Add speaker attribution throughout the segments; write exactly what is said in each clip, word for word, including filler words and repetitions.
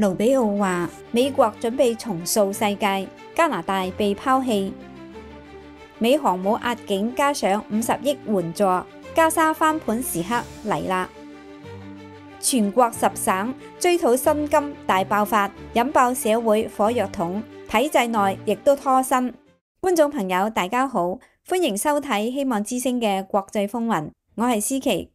Speaker 1: 盧比奧話：美國準備重塑世界，加拿大被拋棄。美航母壓境加上五十億援助，加沙翻盤時刻嚟啦！全國十省追討薪金大爆發，引爆社會火藥桶，體制內亦都拖薪。觀眾朋友大家好，歡迎收睇希望之聲嘅國際風雲，我係思琪。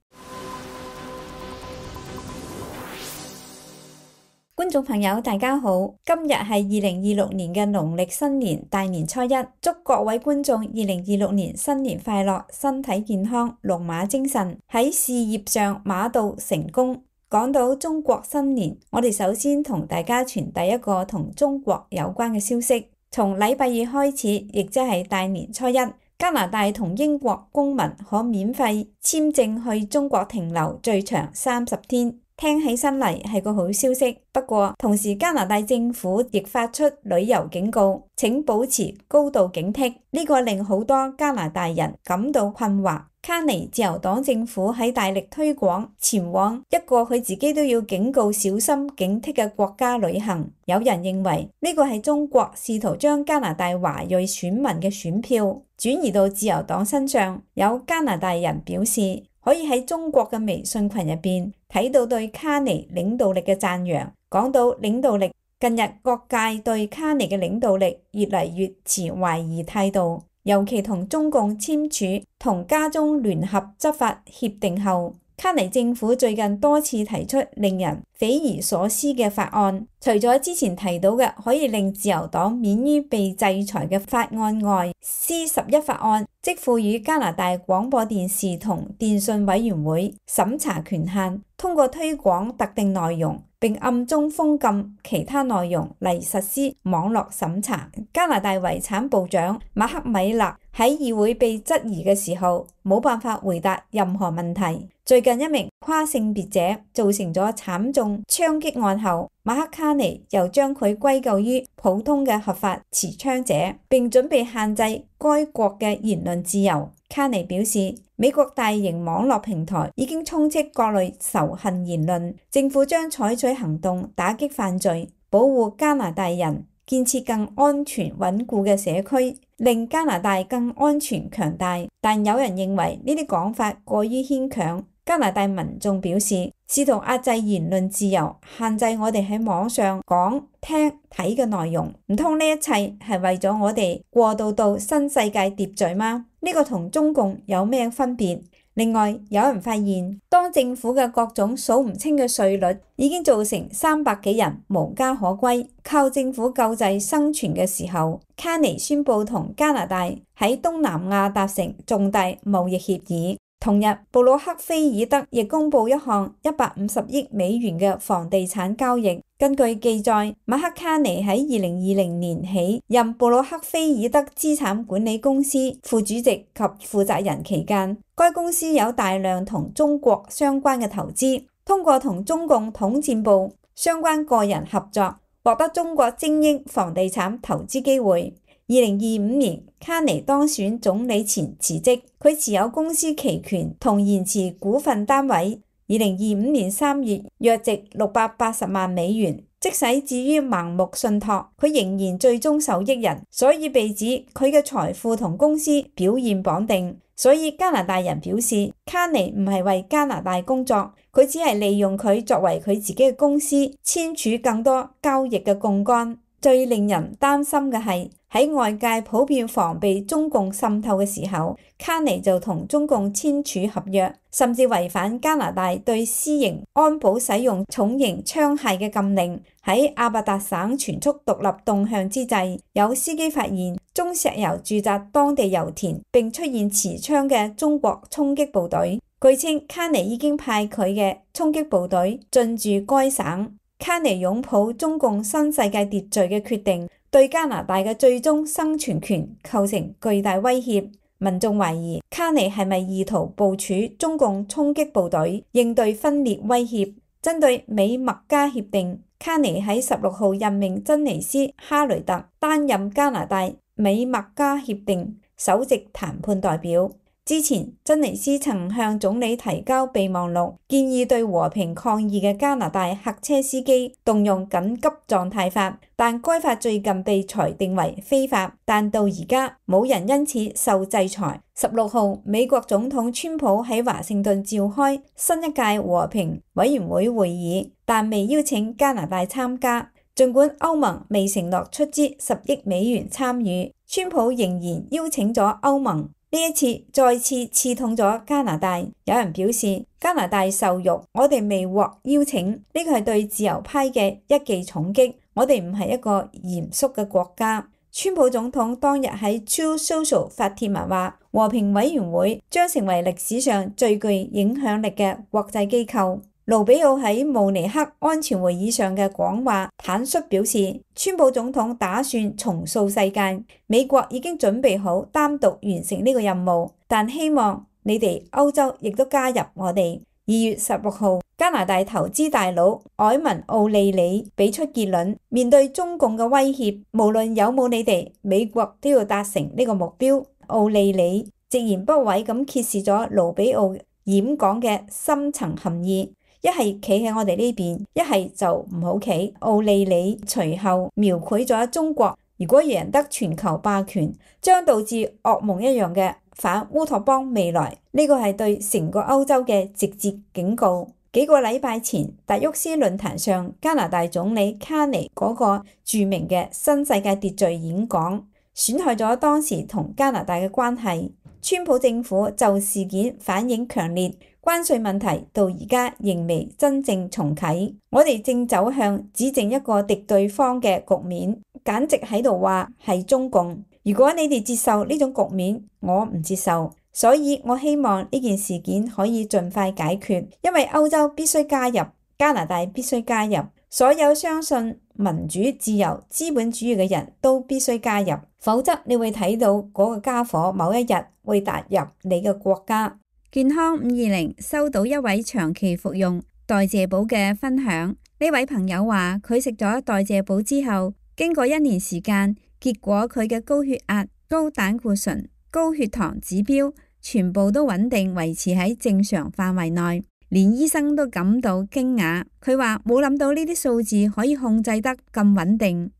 Speaker 1: 觀眾朋友大家好，今日係二零二六年嘅農曆新年大年初一，祝各位觀眾二零二六年新年快樂，身體健康，龍馬精神，喺事業上馬到成功。講到中國新年，我哋首先同大家傳遞一個同中國有關嘅消息，從禮拜二開始，亦即係大年初一，加拿大同英國公民可免費簽證去中國停留最長三十天。聽起身嚟係個好消息，不過同時加拿大政府亦發出旅遊警告，請保持高度警惕。呢個令好多加拿大人感到困惑。卡尼自由黨政府喺大力推廣前往一個佢自己都要警告小心警惕嘅國家旅行。有人認為呢個係中國試圖將加拿大華裔選民嘅選票轉移到自由黨身上。有加拿大人表示，可以喺中國嘅微信群入邊睇到對卡尼領導力嘅讚揚。講到領導力，近日各界對卡尼嘅領導力越嚟越持懷疑態度，尤其同中共簽署同加中聯合執法協定後，卡尼政府最近多次提出令人匪夷所思嘅法案，除咗之前提到嘅可以令自由黨免於被制裁嘅法案外， C 十一法案即賦予加拿大廣播電視同電訊委員會審查權限，通過推廣特定內容並暗中封禁其他內容嚟實施網絡審查。加拿大遺產部長馬克米勒喺議會被質疑嘅時候，冇辦法回答任何問題。最近一名跨性別者造成咗慘重槍擊案後，馬克卡尼又將佢歸咎於普通嘅合法持槍者，並準備限制該國嘅言論自由。卡尼表示，美國大型網絡平台已經充斥各類仇恨言論，政府將採取行動打擊犯罪，保護加拿大人，建設更安全穩固嘅社區，令加拿大更安全強大。但有人認為呢啲講法過於牽強。加拿大民眾表示，試圖壓制言論自由，限制我哋喺網上講、聽、睇嘅內容，唔通呢一切係為咗我哋過渡到新世界秩序嗎？呢個同中共有咩分別？另外，有人發現，當政府嘅各種數唔清嘅稅率已經造成三百幾人無家可歸，靠政府救濟生存嘅時候，卡尼宣布同加拿大喺東南亞達成重大貿易協議。同日，布魯克菲爾德亦公布一項一百五十億美元嘅房地產交易。根據記載，馬克卡尼喺二零二零年起任布魯克菲爾德資產管理公司副主席及負責人期間，該公司有大量同中國相關嘅投資，通過同中共統戰部相關個人合作，獲得中國精英房地產投資機會。二零二五年，卡尼當選總理前辭職，佢持有公司期權同延遲股份單位。二零二五年三月，約值六百八十萬美元。即使至於盲目信託，佢仍然最終受益人，所以被指佢嘅財富同公司表現綁定。所以加拿大人表示，卡尼唔係為加拿大工作，佢只係利用佢作為佢自己嘅公司簽署更多交易嘅槓桿。最令人擔心嘅係，喺外界普遍防備中共滲透嘅時候，卡尼就同中共簽署合約，甚至違反加拿大對私營安保使用重型槍械嘅禁令。喺阿伯達省全速獨立動向之際，有司機發現中石油駐紮當地油田，並出現持槍嘅中國衝擊部隊。據稱，卡尼已經派佢嘅衝擊部隊進駐該省。卡尼擁抱中共新世界秩序嘅決定，對加拿大嘅最終生存權構成巨大威脅。民眾懷疑卡尼係咪意圖部署中共衝擊部隊，應對分裂威脅？針對美墨加協定，卡尼喺十六號任命珍妮斯哈雷特擔任加拿大美墨加協定首席談判代表。之前，珍妮斯曾向總理提交備忘錄，建議對和平抗議嘅加拿大客車司機動用緊急狀態法，但該法最近被裁定為非法，但到而家冇人因此受制裁。十六號，美國總統川普喺華盛頓召開新一屆和平委員會會議，但未邀請加拿大參加。儘管歐盟未承諾出資十億美元參與，川普仍然邀請咗歐盟。呢一次再次刺痛咗加拿大。有人表示加拿大受辱，我哋未獲邀請，呢個係對自由派嘅一記重擊。我哋唔係一個嚴肅嘅國家。川普總統當日喺 Truth Social 發帖文話，和平委員會將成為歷史上最具影響力嘅國際機構。盧比奧喺慕尼黑安全會議上嘅講話坦率表示，川普總統打算重塑世界，美國已經準備好單獨完成呢個任務，但希望你哋歐洲亦都加入我哋。二月十六號，加拿大投資大佬凱文奧利里俾出結論，面對中共嘅威脅，無論有冇你哋，美國都要達成呢個目標。奧利里直言不諱咁揭示咗盧比奧演講嘅深層含義。一係企喺我哋呢邊，一係就唔好企。奧利里隨後描繪咗中國如果贏得全球霸權，將導致噩夢一樣嘅反烏托邦未來。呢個係對成個歐洲嘅直接警告。幾個禮拜前，達沃斯論壇上，加拿大總理卡尼嗰個著名嘅新世界秩序演講，損害咗當時同加拿大嘅關係。川普政府就事件反應強烈。關稅問題到而家仍未真正重啟，我哋正走向指證一個敵對方嘅局面，簡直喺度話係中共。如果你哋接受呢種局面，我唔接受，所以我希望呢件事件可以盡快解決，因為歐洲必須加入，加拿大必須加入，所有相信民主、自由、資本主義嘅人都必須加入，否則你會睇到嗰個家伙某一日會踏入你嘅國家。健康五二零收到一位長期服用代謝寶嘅分享，呢位朋友話佢食咗代謝寶之後，經過一年時間，結果佢嘅高血壓、高膽固醇、高血糖指標全部都穩定維持喺正常範圍內，連醫生都感到驚訝。佢話冇諗到呢啲數字可以控制得咁穩定。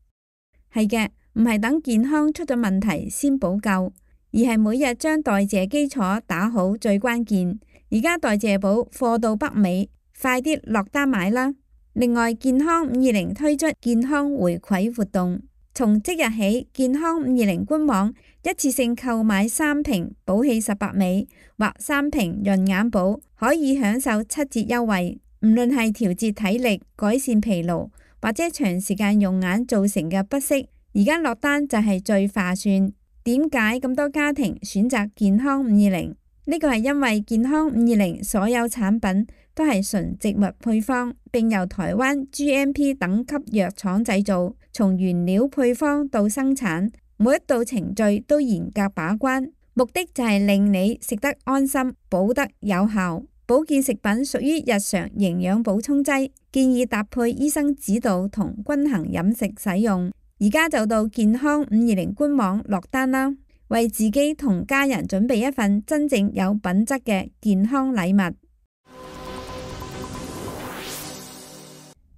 Speaker 1: 係嘅，唔係等健康出咗問題先補救，而係每日將代謝基礎打好最關鍵。而家代謝寶貨到北美，快啲落單買啦！另外，健康五二零推出健康回饋活動，從即日起，健康五二零官網一次性購買三瓶寶氣十八味或三瓶潤眼寶，可以享受七折優惠。唔論係調節體力、改善疲勞，或者長時間用眼造成嘅不適，而家落單就係最划算。點解咁多家庭選擇健康五二零？呢個係因為健康五二零所有產品都係純植物配方，並由台灣 G M P 等級藥廠製造，從原料配方到生產，每一道程序都嚴格把關，目的就係令你食得安心，補得有效。保健食品屬於日常營養補充劑，建議搭配醫生指導同均衡飲食使用。而家就到健康五二零官網落單啦，為自己同家人準備一份真正有品質嘅健康禮物。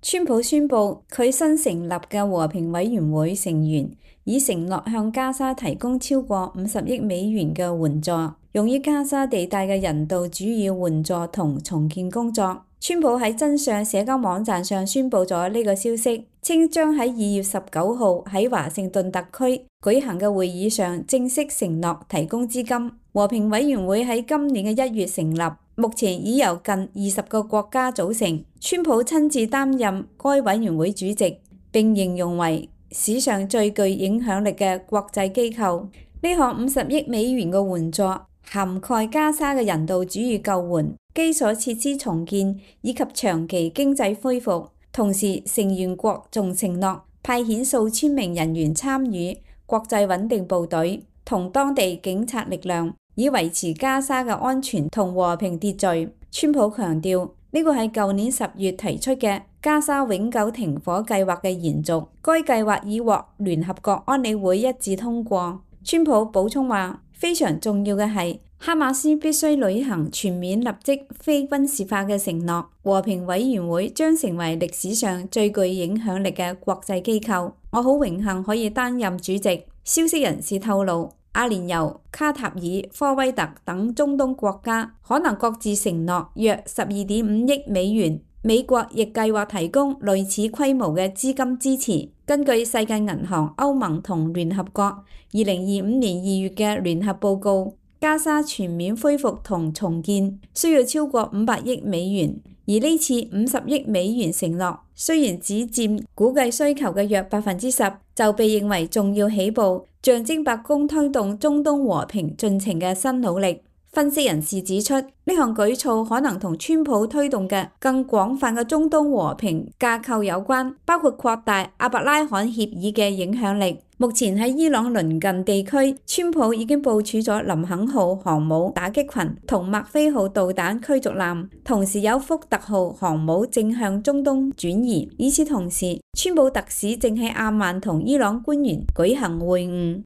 Speaker 1: 川普宣布佢新成立嘅和平委員會成員已承諾向加沙提供超過五十億美元嘅援助，用於加沙地帶嘅人道主義援助同重建工作。川普喺真相社交網站上宣布咗呢個消息，稱將喺二月十九號喺華盛頓特區舉行嘅會議上正式承諾提供資金。和平委員會喺今年嘅一月成立，目前已由近二十個國家組成。川普親自擔任該委員會主席，並形容為史上最具影響力嘅國際機構。呢項五十億美元嘅援助涵蓋加沙嘅人道主義救援、基礎設施重建以及長期經濟恢復。同時，成員國仲承諾派遣數千名人員參與國際穩定部隊同當地警察力量，以維持加沙嘅安全同和平秩序。川普強調，呢個係舊年十月提出嘅加沙永久停火計劃嘅延續，該計劃已獲聯合國安理會一致通過。川普補充話，非常重要嘅係哈馬斯必須履行全面立即非軍事化嘅承諾。和平委員會將成為歷史上最具影響力嘅國際機構。我好榮幸可以擔任主席。消息人士透露，阿聯酋、卡塔爾、科威特等中東國家可能各自承諾約十二點五億美元。美國亦計劃提供類似規模嘅資金支持。根據世界銀行、歐盟同聯合國二零二五年二月嘅聯合報告，加沙全面恢復同重建需要超過五百億美元，而呢次五十億美元承諾雖然只佔估計需求嘅約百分之十，就被認為重要起步，象徵白宮推動中東和平進程嘅新努力。分析人士指出，呢項舉措可能同川普推動嘅更廣泛嘅中東和平架構有關，包括擴大阿伯拉罕協議嘅影響力。目前喺伊朗鄰近地區，川普已經部署咗林肯號航母打擊群同麥菲號導彈驅逐艦，同時有福特號航母正向中東轉移。與此同時，川普特使正喺阿曼同伊朗官員舉行會晤。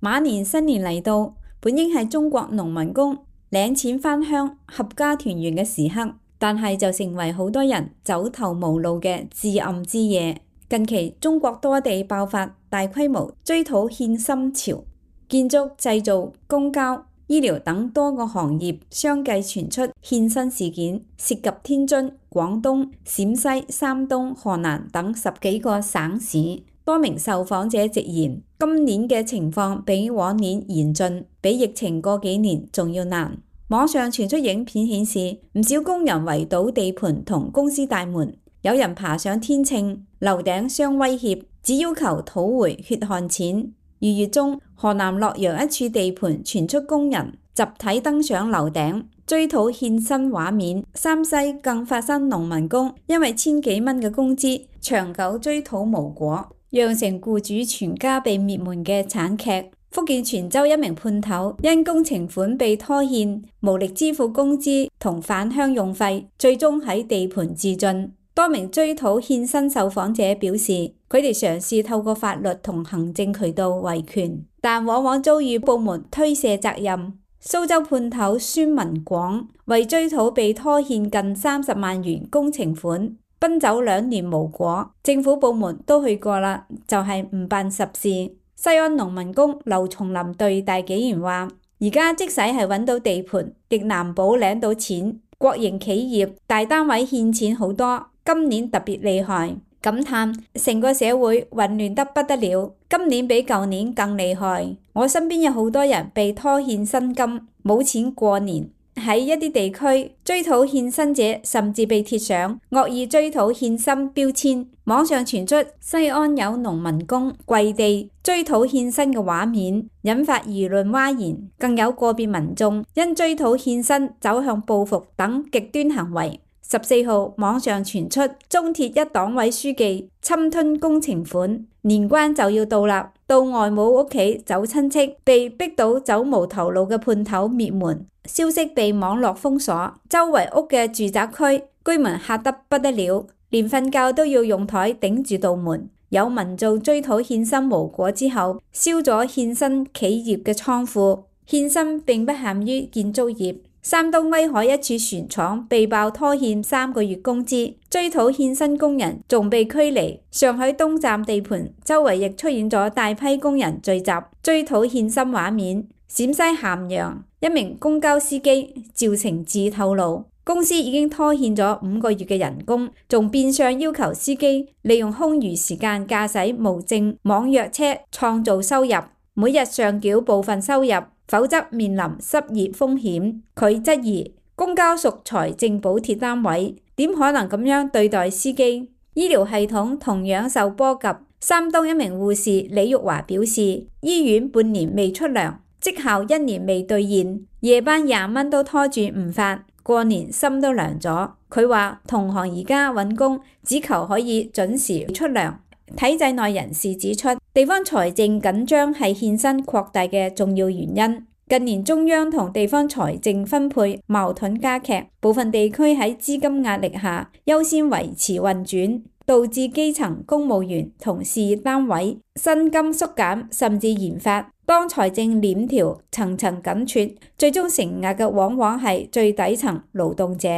Speaker 1: 馬年新年嚟到，本應係中國農民工領錢返鄉、合家團圓嘅時刻，但係就成為好多人走投無路嘅至暗之夜。近期中國多地爆發大規模追討欠薪潮，建築、製造、公交、醫療等多個行業相繼傳出欠薪事件，涉及天津、廣東、陝西、山東、河南等十幾個省市。多名受訪者直言，今年嘅情況比往年嚴峻，比疫情嗰幾年仲要難。網上傳出影片顯示，唔少工人圍堵地盤同公司大門，有人爬上天秤，樓頂相威脅，只要求討回血汗錢。二月中，河南洛陽一處地盤傳出工人集體登上樓頂追討欠薪畫面。山西更發生農民工因為千幾蚊嘅工資長久追討無果，釀成僱主全家被滅門嘅慘劇。福建泉州一名判頭因工程款被拖欠，無力支付工資同返鄉用費，最終喺地盤自盡。多名追討欠薪受訪者表示，佢哋嘗試透過法律同行政渠道維權，但往往遭遇部門推卸責任。蘇州判頭孫文廣為追討被拖欠近三十萬元工程款，奔走兩年無果，政府部門都去過啦，就係、是、唔辦實事。西安農民工劉松林對大紀元話：而家即使係揾到地盤，亦難保領到錢。國營企業大單位欠錢好多，今年特別厲害。感嘆成個社會混亂得不得了，今年比舊年更厲害。我身邊有好多人被拖欠薪金，冇錢過年。喺一啲地區，追討欠薪者甚至被貼上惡意追討欠薪標籤。網上傳出西安有農民工跪地追討欠薪嘅畫面，引發輿論譁然。更有個別民眾因追討欠薪走向報復等極端行為。十四號網上傳出中鐵一黨委書記侵吞工程款，年關就要到啦，到外母屋企走親戚，被逼到走無頭路嘅判頭滅門。消息被網絡封鎖，周圍屋嘅住宅區居民嚇得不得了，連瞓覺都要用台頂住道門。有民眾追討欠薪無果之後，燒咗欠薪企業嘅倉庫。欠薪並不限於建築業。山東威海一處船廠被爆拖欠三個月工資，追討欠薪工人仲被驅離。上海東站地盤周圍亦出現咗大批工人聚集追討欠薪畫面。陝西咸陽一名公交司機趙成志透露，公司已經拖欠咗五個月嘅人工，仲變相要求司機利用空餘時間駕駛無證網約車創造收入，每日上繳部分收入，否則面臨失業風險。佢質疑公交屬財政補貼單位，點可能咁樣對待司機？醫療系統同樣受波及。山東一名護士李玉華表示，醫院半年未出糧，績效一年未兌現，夜班廿蚊都拖住唔發，過年心都涼咗。佢話同行而家揾工只求可以準時出糧。體制內人士指出，地方財政緊張係欠薪擴大嘅重要原因。近年中央同地方財政分配矛盾加劇，部分地區喺資金壓力下優先維持運轉，導致基層公務員同事業單位薪金縮減甚至研發當財政鏈條層層緊絀，最終承壓嘅往往係最底層勞動者。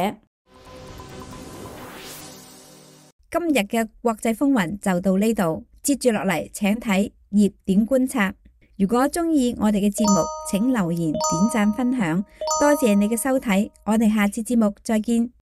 Speaker 1: 今日嘅國際風雲就到呢度，接住落嚟請睇熱點觀察。如果鍾意我哋嘅節目，請留言、點讚、分享，多謝你嘅收睇，我哋下次節目再見。